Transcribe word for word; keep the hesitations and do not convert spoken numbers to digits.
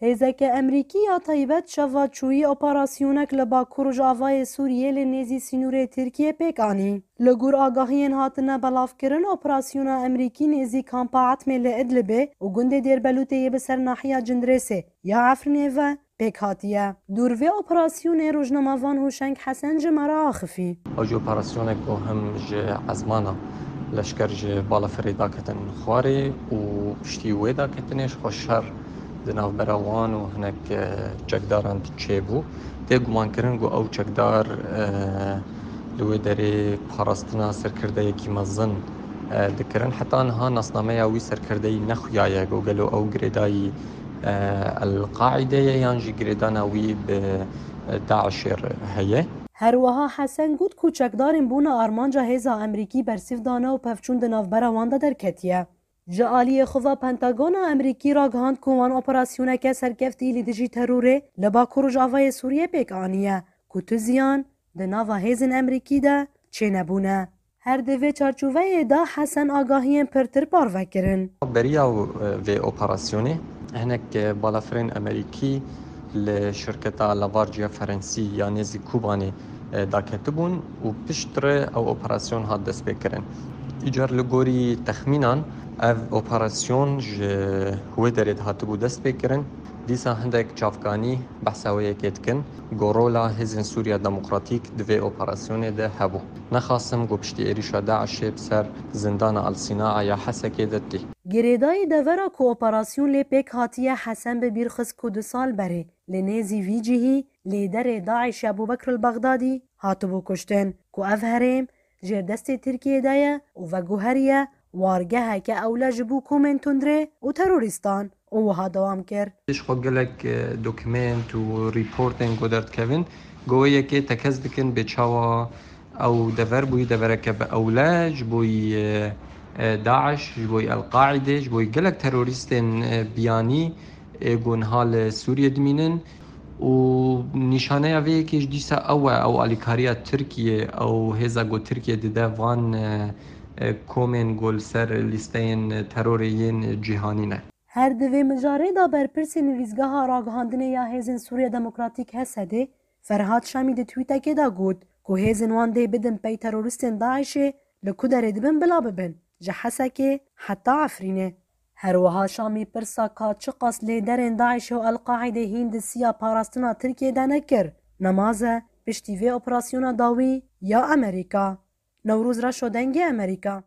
Hêzeke Emerîkî ya taybet şeva çûyî operasyonek li bakur rojavayê Sûriyê li nêzî sînorê Tirkiyê pêk anî. Li gor agahiyên hatine belavkirin, operasyona Emerîkî nêzî kampa Etmê li Idlibê û gundê Dêrbelûtê yê bi ser nahiya Cindirêsê ya Efrînê ve pêk hatiye. Dûr vê operasyonê rojnamevan Hûşeng Hesen ji me re axifî. Ew jî operasyonek ku hem ji ezmana leşker ji balafirê daketin xwarê û piştî wê daketinê ji xwe şer di navbera wan û hinek, e, çekdaran çêbû. Tê gumankirin ku ew çekdar, e, li wê derê parastina serkirdeyekî mezin, e, dikirin. Heta niha nasnameya wî serkirdeyî nexuyaye ku gelo ew girêdayî, e, El-Qaîdê ye yan jî girêdana wî bi, e, DAIŞê re heye. Her wiha Hesen got ku çekdarên bûne armanca hêza Emerîkî bersîv dane û pevçûn di navbera wan de derketiye. Ji aliyê xwe ve Pentagona Emerîkî ragihand ku wan operasyoneke serkeftî li dijî terorê li bakur rojavayê Sûriyê pêk aniye ku tu ziyan di nava hêzên Emerîkî de çênebûne. Her di vê çarçoveyê de Hesen agahiyên pirtir parve kirin. Beriya, e, vê operasyonê hinek, e, balafirên Emerîkî li şirketa Lavarciya Ferensî ya nêzî Kobanê, e, daketibûn û piştre ew operasyon hat destpêkirin. Îcar li gorî texmînan ev operasyon ji wê derê dihatibû destpêkirin. Dîsa hindek çavkanî behsa wê yekê dikin. Ku rola Hêzên Sûriya Demokratîk di vê operasyonê de hebû. Nexasim ku piştî êrîşa DAIŞê bi ser zindana El Sînaa ya Hesekê de tê. Girêdayî devera ku operasyon lê pêk hatiye Hesen bi bîr xist ku du sal berê li nêzî vî cihî lêderê DAIŞê Ebûbekr el-Bexdadî hatibû kuştin, ku ev herêm jêr destê Tirkiyê de ye û veguheriye wargeheke ewle ji bo komên tundrê û terorîstan û wiha dewam kir. Ji xwe gelek, e, dokument û rîportên ku derdikevin, ku wê yekê tekez dikin bê çawa ew dever bûyî devereke bi ewle ji bo yî, e, e, DAIŞ, ji bo yî El-Qaîdê, ji bo yî gelek terorîstên, e, biyanî, ê ku niha li Sûriyê dimînin û nîşaneya vê yekê ji dîsa ew e, ew alîkariya Tirkiyê, ew hêza ku Tirkiye dide van, e, e, komên ku li ser lîsteyên terorê yên cîhanî ne. Her di vê mijarê de berpirsê nivîsgeha ragihandinê ya Hêzên Sûriya Demokratîk, H S D'ê, Ferhat Şamî di twîtekê de got ku hêzên wan dê bidin pey terorîstên DAIŞê, li ku derê dibin bila bibin, ji Hesekê heta Efrînê. Her wiha Şamî pirsa ka çiqas lêderên DAIŞê û El-Qaîdê hîn di siya parastina Tirkiyê de nekir, nemaze piştî vê operasyona dawî ya Amerîka. Newroz Reşo, Dengê Amerîka.